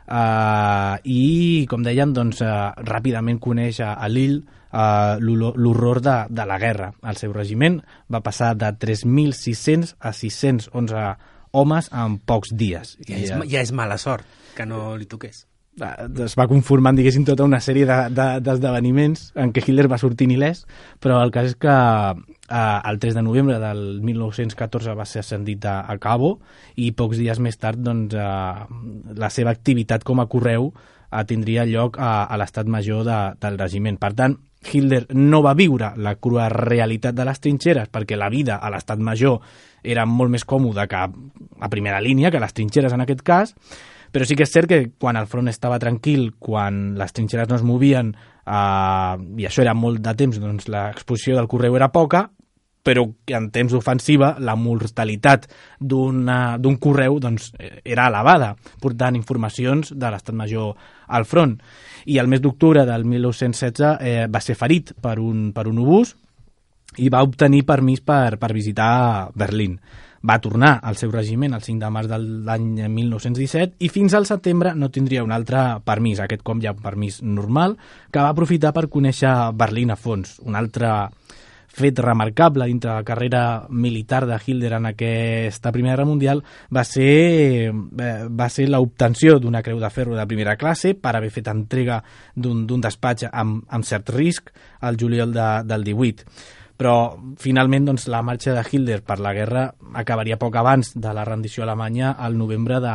eh, i, com dèiem, doncs, eh, ràpidament coneix a, a Lille eh, l'horror de, de la guerra. El seu regiment va passar de tres mil sis-cents a sis-cents onze homes en pocs dies. Ja és, ja és mala sort que no li toqués. Es va conformant, diguéssim, tota una sèrie de, de, d'esdeveniments en què Hitler va sortir il·lès, però el cas és que eh, el tres de novembre del mil nou-cents catorze va ser ascendit a, a Cabo, i pocs dies més tard doncs, eh, la seva activitat com a correu eh, tindria lloc a, a l'estat major de, del regiment. Per tant, Hitler no va viure la crua realitat de les trinxeres, perquè la vida a l'estat major era molt més còmoda que a primera línia, que les trinxeres en aquest cas, però sí que és cert que quan el front estava tranquil, quan les trinxeres no es movien, eh, i això era molt de temps, doncs l'exposició del correu era poca, però que en temps d'ofensiva la mortalitat d'un correu doncs, era elevada, portant informacions de l'estat major al front. I el mes d'octubre del mil nou-cents setze eh, va ser ferit per un, per un obús i va obtenir permís per, per visitar Berlín. Va tornar al seu regiment el cinc de març de l'any mil nou-cents disset i fins al setembre no tindria un altre permís, aquest cop ja un permís normal, que va aprofitar per conèixer Berlín a fons. Un altre fet remarcable dintre la carrera militar de Hitler en aquesta Primera Guerra Mundial va ser, va ser l'obtenció d'una creu de ferro de primera classe per haver fet entrega d'un despatx amb, amb cert risc al juliol de, del divuit. però finalment doncs, la marxa de Hitler per la guerra acabaria poc abans de la rendició alemanya al novembre de,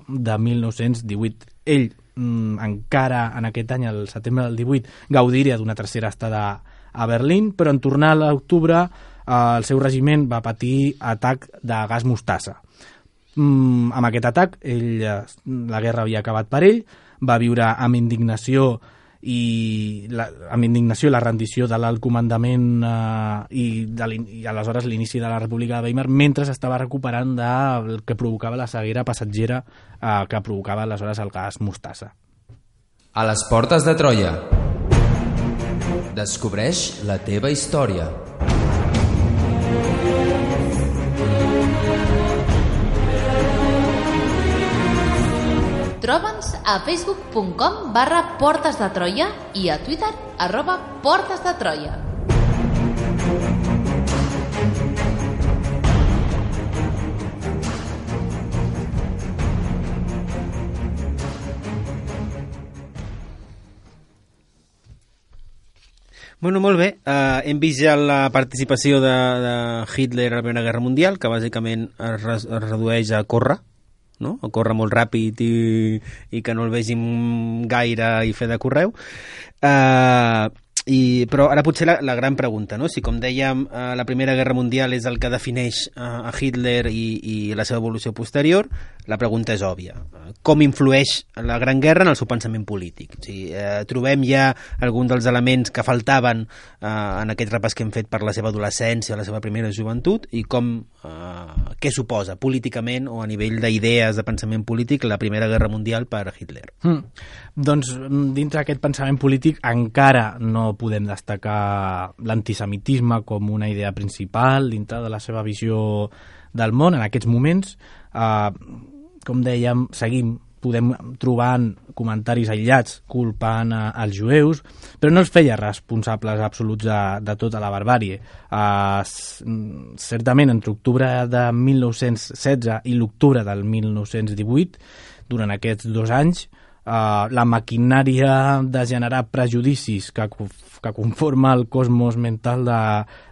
de mil nou-cents divuit. Ell mm, encara en aquest any, el setembre del divuit, gaudiria d'una tercera estada a Berlín, però en tornar a l'octubre eh, el seu regiment va patir atac de gas mostassa. Mm, amb aquest atac, ell, la guerra havia acabat per ell, va viure amb indignació i la, amb indignació la rendició de l'alt comandament eh, i, de i aleshores l'inici de la República de Weimar, mentre estava recuperant del que provocava la ceguera passatgera eh, que provocava aleshores el gas mostassa. A les portes de Troia. Descobreix la teva història. Troba'ns a facebook punt com barra Portes de Troia i a Twitter arroba Portes de Troia. Bueno, molt bé. Uh, hem vist ja la participació de, de Hitler a la Primera Guerra Mundial, que bàsicament es, re, es redueix a córrer, no? A córrer molt ràpid i, i que no el vegin gaire i fer de correu. Uh, i, però ara potser la, la gran pregunta, no? Si com dèiem uh, la Primera Guerra Mundial és el que defineix uh, a Hitler i, i la seva evolució posterior, la pregunta és òbvia. Com influeix la Gran Guerra en el seu pensament polític? O sigui, eh, trobem ja algun dels elements que faltaven eh, en aquest repàs que hem fet per la seva adolescència, la seva primera joventut, i com, eh, què suposa políticament o a nivell d'idees de pensament polític la Primera Guerra Mundial per a Hitler? Mm. Doncs dintre d'aquest pensament polític encara no podem destacar l'antisemitisme com una idea principal dintre de la seva visió del món en aquests moments. Eh, com dèiem, seguim, podem trobar comentaris aïllats culpant a, als jueus, però no els feia responsables absoluts de, de tota la barbàrie. Uh, certament, entre l'octubre de mil nou-cents setze i l'octubre del mil nou-cents divuit, durant aquests dos anys, uh, la maquinària de generar prejudicis que, que conforma el cosmos mental de,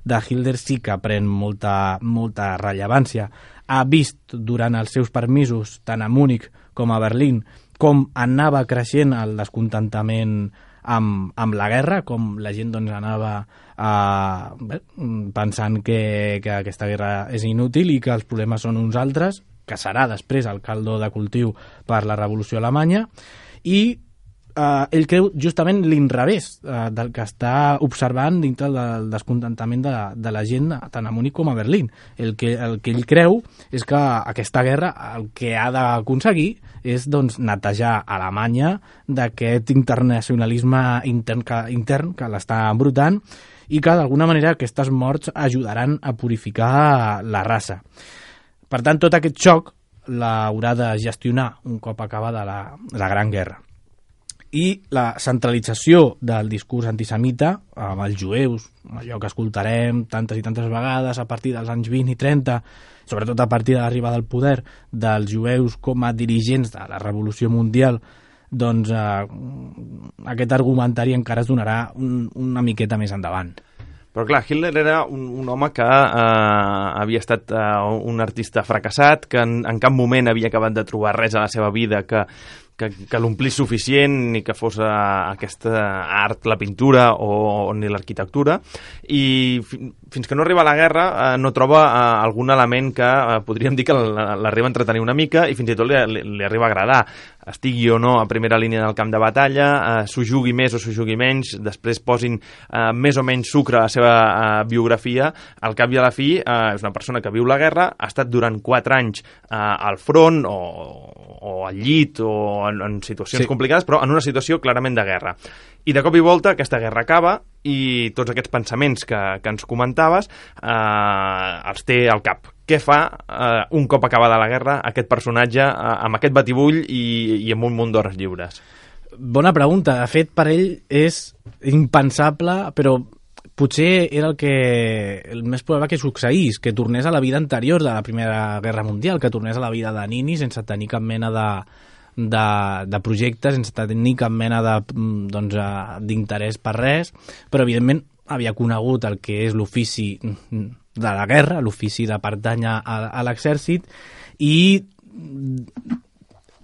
de Hitler sí que pren molta, molta rellevància. Ha vist durant els seus permisos, tant a Múnich com a Berlín, com anava creixent el descontentament amb, amb la guerra, com la gent doncs, anava eh, bé, pensant que, que aquesta guerra és inútil i que els problemes són uns altres, que serà després el caldo de cultiu per la Revolució Alemanya, i Uh, ell creu justament l'inrevés uh, del que està observant dintre del descontentament de, de la gent tant a Múnich com a Berlín. El que, el que ell creu és que aquesta guerra el que ha d'aconseguir és doncs, netejar Alemanya d'aquest internacionalisme intern que, intern que l'està embrutant i que d'alguna manera aquestes morts ajudaran a purificar la raça. Per tant, tot aquest xoc l'haurà de gestionar un cop acabada la, la Gran Guerra. I la centralització del discurs antisemita amb els jueus, allò que escoltarem tantes i tantes vegades a partir dels anys vint i trenta, sobretot a partir de l'arribada al poder dels jueus com a dirigents de la Revolució Mundial, doncs eh, aquest argumentari encara es donarà un, una miqueta més endavant. Però clar, Hitler era un, un home que eh, havia estat eh, un artista fracassat, que en, en cap moment havia acabat de trobar res a la seva vida que que, que l'omplís suficient ni que fos uh, aquesta art, la pintura o, o ni l'arquitectura, i fi, fins que no arriba a la guerra uh, no troba uh, algun element que uh, podríem dir que l'arriba a entretenir una mica i fins i tot li, li, li arriba a agradar, estigui o no a primera línia del camp de batalla, uh, s'ho jugui més o s'ho jugui menys, després posin uh, més o menys sucre a la seva uh, biografia, al cap i a la fi uh, és una persona que viu la guerra, ha estat durant quatre anys uh, al front o, o al llit o en, en situacions sí. complicades, però en una situació clarament de guerra. I de cop i volta aquesta guerra acaba i tots aquests pensaments que, que ens comentaves eh, els té al cap. Què fa eh, un cop acabada la guerra aquest personatge eh, amb aquest batibull i, i amb un munt d'hores lliures? Bona pregunta. De fet, per ell és impensable, però potser era el que el més probable que succeís, que tornés a la vida anterior de la Primera Guerra Mundial, que tornés a la vida de nini sense tenir cap mena de, de, de projectes, sense tenir cap mena de, doncs, d'interès per res, però evidentment havia conegut el que és l'ofici de la guerra, l'ofici de pertànyer a, a l'exèrcit, i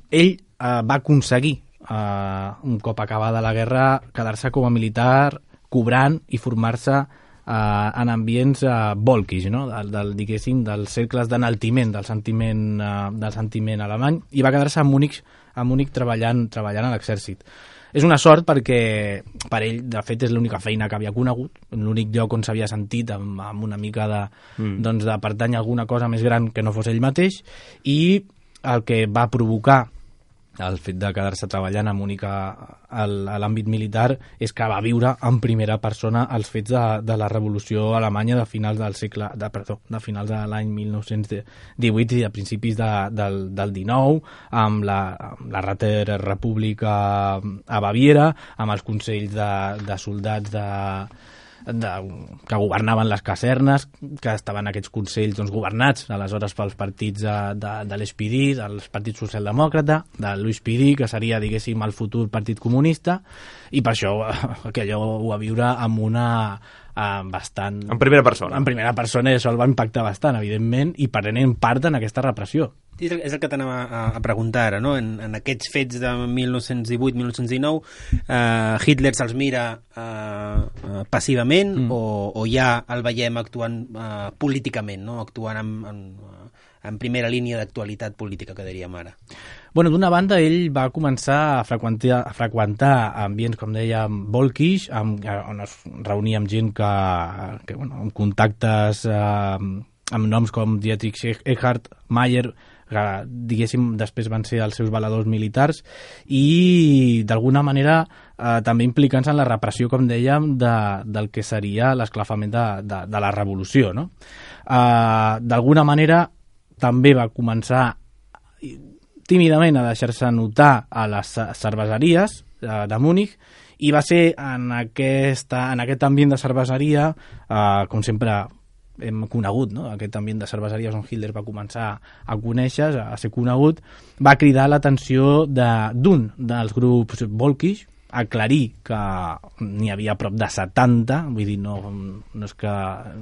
ell eh, va aconseguir, eh, un cop acabada la guerra, quedar-se com a militar, cobrant i formar-se eh, en ambients eh, volkisch, no? del, del, diguéssim, dels cercles d'enaltiment del sentiment, eh, del sentiment alemany, i va quedar-se a Múnich, a Múnich treballant, treballant a l'exèrcit. És una sort perquè per ell, de fet, és l'única feina que havia conegut, l'únic lloc on s'havia sentit amb, amb una mica de, mm. doncs, de pertany a alguna cosa més gran que no fos ell mateix, i el que va provocar el fet de quedar-se treballant a Múnich a, a l'àmbit militar és que va viure en primera persona els fets de, de la revolució alemanya de finals del segle, de, perdó, de finals de l'any mil nou-cents divuit i a principis de, del, del dinou, amb la, amb la Räter República a Baviera, amb els consells de, de soldats de, de, que governaven les casernes, que estaven aquests consells doncs, governats aleshores pels partits de, de, de l'S P D, del Partit Socialdemòcrata, de l'U S P D, que seria, diguéssim, el futur Partit Comunista, i per això aquello ho va viure amb una eh, bastant... En primera persona. En primera persona, i això el va impactar bastant, evidentment, i prenent part en aquesta repressió. És el, és el que t'anava a, a preguntar ara, no? En, en aquests fets de mil nou-cents divuit mil nou-cents dinou, eh, Hitler se'ls mira eh, eh, passivament mm. o, o ja el veiem actuant eh, políticament, no? Actuant en, en, en primera línia d'actualitat política, que diríem ara? Bueno, d'una banda, ell va començar a freqüentar, a freqüentar ambients, com dèiem, volkisch, amb, on es reunia amb gent que, que bueno, amb contactes, eh, amb noms com Dietrich Eckart, Mayer, que, diguéssim, després van ser els seus valedors militars, i d'alguna manera eh, també implicant-se en la repressió, com dèiem, de, del que seria l'esclafament de, de, de la revolució, no? Eh, d'alguna manera també va començar tímidament a deixar-se notar a les cerveseries de, de Múnich, i va ser en, aquesta, en aquest ambient de cerveseria, eh, com sempre hem conegut, no? Aquest ambient de cerveseries on Hitler va començar a conèixer, a ser conegut, va cridar l'atenció d'un de, dels grups volkisch, aclarir que n'hi havia prop de setanta, vull dir, no, no és que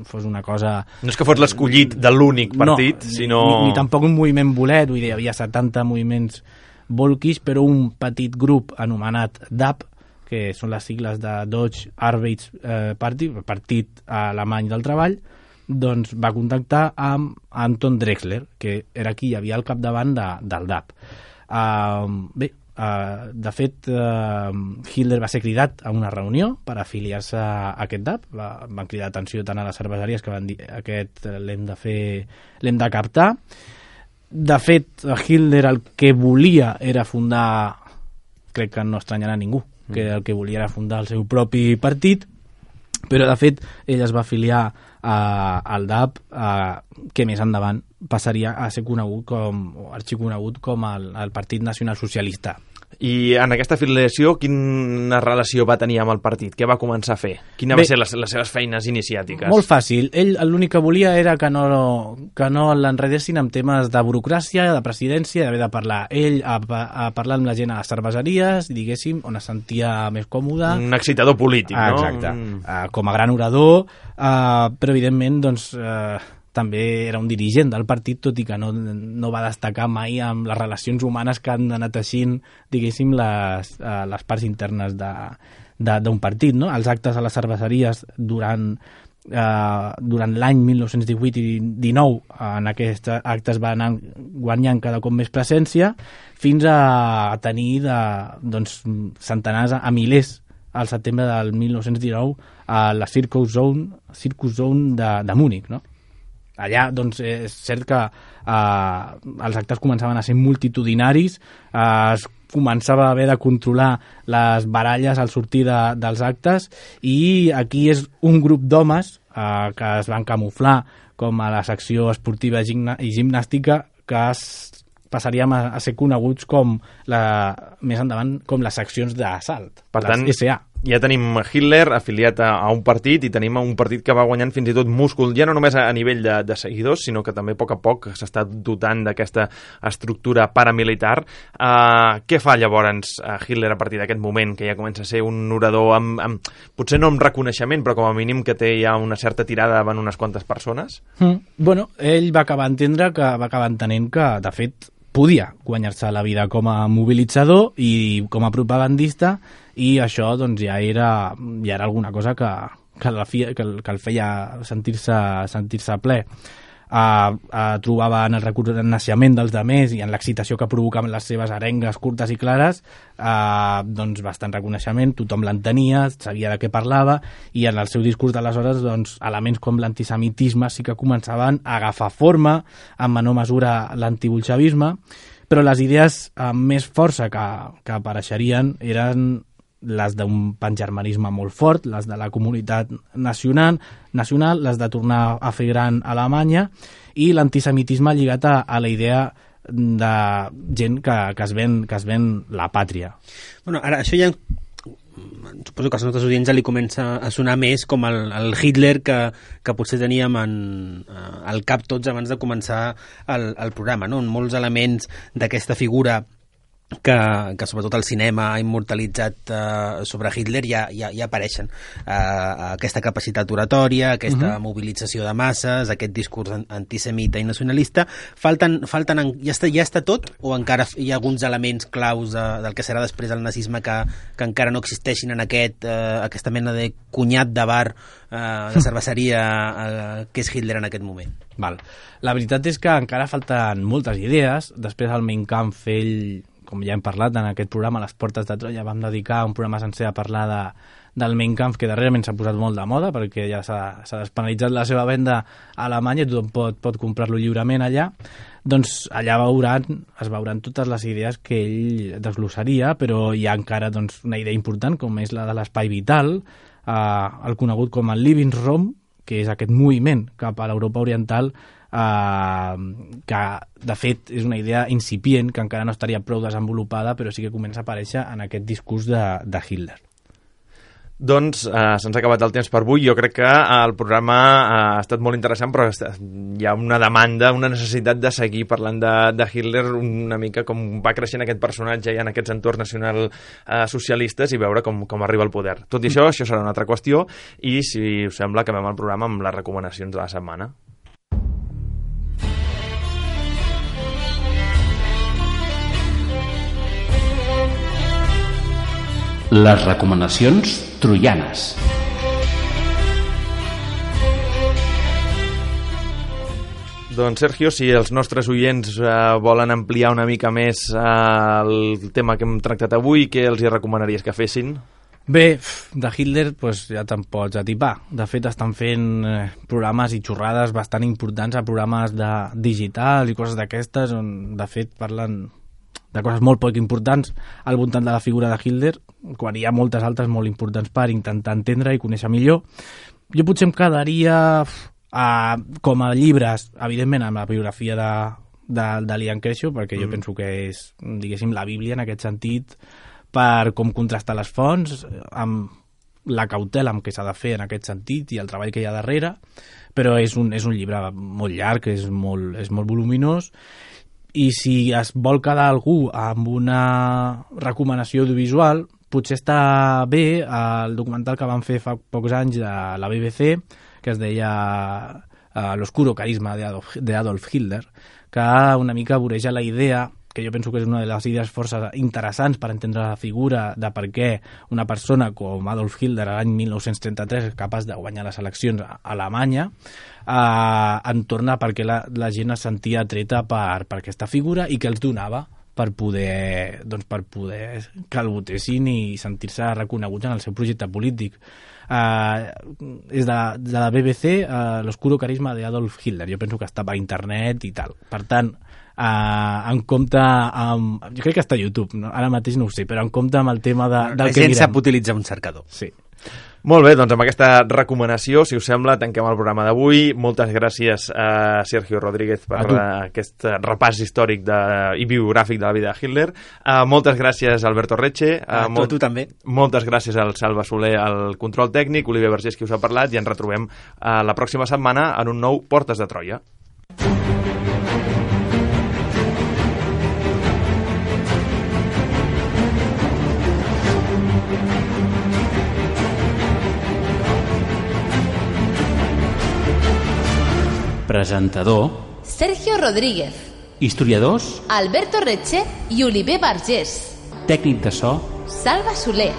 fos una cosa... No és que fos l'escollit de l'únic partit, no, sinó... Ni, ni tampoc un moviment bolet, vull dir, hi havia setanta moviments volkisch, però un petit grup anomenat D A P, que són les sigles de Deutsche Arbeitspartei, Partit Alemany del Treball, doncs va contactar amb Anton Drexler, que era qui hi havia al capdavant de, del D A P. Uh, bé, uh, de fet, uh, Hitler va ser cridat a una reunió per afiliar-se a aquest D A P. Va, van cridar atenció tant a les cerveseries que van dir aquest l'hem de fer, l'hem de captar. De fet, Hitler el que volia era fundar, crec que no estranyarà a ningú, que el que volia era fundar el seu propi partit, però de fet ell es va afiliar a, al D A P, a, que més endavant passaria a ser conegut com, o arxiconegut com el, el Partit Nacional Socialista. I en aquesta afiliació, quina relació va tenir amb el partit? Què va començar a fer? Quina va Bé, ser les, les seves feines iniciàtiques? Molt fàcil. Ell l'únic que volia era que no, que no l'enredessin amb temes de burocràcia, de presidència, d'haver de parlar. Ell a, a parlar amb la gent a les cerveseries, diguéssim, on es sentia més còmode. Un excitador polític, ah, no? Exacte. Mm. Uh, com a gran orador, uh, però evidentment, doncs... Uh, també era un dirigent del partit, tot i que no, no va destacar mai amb les relacions humanes que han anat teixint, diguéssim, les, uh, les parts internes d'un partit, no? Els actes a les cerveseries durant, uh, durant l'any mil nou-cents divuit i dinou, en aquests actes va anar guanyant cada cop més presència, fins a tenir de, doncs, centenars a milers al setembre del mil nou-cents dinou a la Circus Zone, Circus Zone de, de Múnich, no? Allà, doncs, és cert que eh, els actes començaven a ser multitudinaris, eh, es començava a haver de controlar les baralles al sortir de, dels actes, i aquí és un grup d'homes eh, que es van camuflar com a la secció esportiva i gimnàstica, que es passaríem a, a ser coneguts com la, més endavant com les seccions d'assalt, per tant, les S A. ja tenim Hitler afiliat a, a un partit i tenim un partit que va guanyant fins i tot múscul, ja no només a, a nivell de, de seguidors, sinó que també a poc a poc s'està dotant d'aquesta estructura paramilitar. Uh, què fa llavors uh, Hitler a partir d'aquest moment, que ja comença a ser un orador amb, amb, potser no amb reconeixement, però com a mínim que té ja una certa tirada davant unes quantes persones? Mm. Bueno, ell va acabar entendre que va acabar entenent que, de fet, podia guanyar-se la vida com a mobilitzador i com a propagandista, i això doncs, ja, era, ja era alguna cosa que, que, la fi, que, el, que el feia sentir-se sentir-se ple. Uh, uh, trobava en el reconeixement dels demés i en l'excitació que provocaven les seves arengues curtes i clares uh, doncs bastant reconeixement, tothom l'entenia, sabia de què parlava, i en el seu discurs d'aleshores doncs, elements com l'antisemitisme sí que començaven a agafar forma, en menor mesura l'antibolxevisme, però les idees amb més força que, que apareixerien eren les d'un pangermanisme molt fort, les de la comunitat nacional, nacional, les de tornar a fer gran Alemanya, i l'antisemitisme lligat a, a la idea de gent que, que, es ven, que es ven la pàtria. Bueno, ara, això ja suposo que als nostres audients li comença a sonar més com el, el Hitler que, que potser teníem en, uh, al cap tots abans de començar el, el programa, no? Molts elements d'aquesta figura que, que sobretot el cinema ha immortalitzat uh, sobre Hitler ja, ja, ja apareixen. Uh, aquesta capacitat oratòria, aquesta uh-huh. mobilització de masses, aquest discurs antisemita i nacionalista, falten, falten en, ja, està, ja està tot, o encara hi ha alguns elements claus de, del que serà després el nazisme que, que encara no existeixin en aquest, uh, aquesta mena de cunyat de bar, uh, de cerveseria uh, que és Hitler en aquest moment? Val. La veritat és que encara falten moltes idees. Després el Mein Kampf, ell, com ja hem parlat en aquest programa, Les portes de Troia, vam dedicar un programa sencer a parlar de, del Mein Kampf, que darrerament s'ha posat molt de moda perquè ja s'ha despenalitzat la seva venda a Alemanya i tothom pot, pot comprar-lo lliurement allà. Doncs allà veuran, es veuran totes les idees que ell desglossaria, però hi ha encara doncs, una idea important, com és la de l'espai vital, eh, el conegut com el Lebensraum, que és aquest moviment cap a l'Europa oriental, Uh, que de fet és una idea incipient, que encara no estaria prou desenvolupada, però sí que comença a aparèixer en aquest discurs de, de Hitler. Doncs uh, se'ns ha acabat el temps per avui. Jo crec que uh, el programa uh, ha estat molt interessant, però hi ha una demanda, una necessitat de seguir parlant de, de Hitler, una mica com va creixent aquest personatge i en aquests entorns nacional uh, socialistes, i veure com, com arriba al poder. Tot i això, això serà una altra qüestió, i si us sembla, acabem el programa amb les recomanacions de la setmana. Les recomanacions troianes. Doncs, Sergio, si els nostres oients eh, volen ampliar una mica més eh, el tema que hem tractat avui, què els hi recomanaries que fessin? Bé, de Hitler pues, ja te'n pots atipar. De fet, estan fent eh, programes i xorrades bastant importants a programes de digital i coses d'aquestes, on de fet parlen de coses molt poc importants al voltant de la figura de Hitler, quan hi ha moltes altres molt importants per intentar entendre i conèixer millor. Jo potser em quedaria uh, com a llibres, evidentment, amb la biografia de, de, de Liam Kershaw, perquè mm. jo penso que és, diguéssim, la Bíblia en aquest sentit, per com contrastar les fonts, amb la cautela amb què s'ha de fer en aquest sentit i el treball que hi ha darrere, però és un, és un llibre molt llarg, és molt, és molt voluminós, i si es vol quedar algú amb una recomanació audiovisual, potser està bé el documental que van fer fa pocs anys de la B B C, que es deia uh, L'oscuro carisma de Adolf, de Adolf Hitler, que una mica voreja la idea, que jo penso que és una de les idees força interessants per entendre la figura de per què una persona com Adolf Hitler l'any mil nou-cents trenta-tres és capaç de guanyar les eleccions a Alemanya, eh, entorn a per què la, la gent es sentia atreta per, per aquesta figura i que els donava per poder, doncs, per poder que el votessin i sentir-se reconeguts en el seu projecte polític. Uh, és de, de la B B C, uh, L'oscuro carisma de Adolf Hitler. Jo penso que està per internet i tal. Per tant, uh, en compte amb... Jo crec que està a YouTube, no? Ara mateix no ho sé, però en compte amb el tema de, del la que gent mirem. sap utilitzar un cercador. Sí. Molt bé, doncs amb aquesta recomanació, si us sembla, tanquem el programa d'avui. Moltes gràcies a Sergio Rodríguez per aquest repàs històric de, i biogràfic de la vida de Hitler. Uh, moltes gràcies a Alberto Reche. Uh, a molt, tu també. Moltes gràcies al Salva Soler, al control tècnic, Oliver Vergés, qui us ha parlat, i ens retrobem uh, la pròxima setmana en un nou Portes de Troia. Presentador Sergio Rodríguez. Historiadors Alberto Reche i Oliver Vergés. Tècnic de so Salva Soler.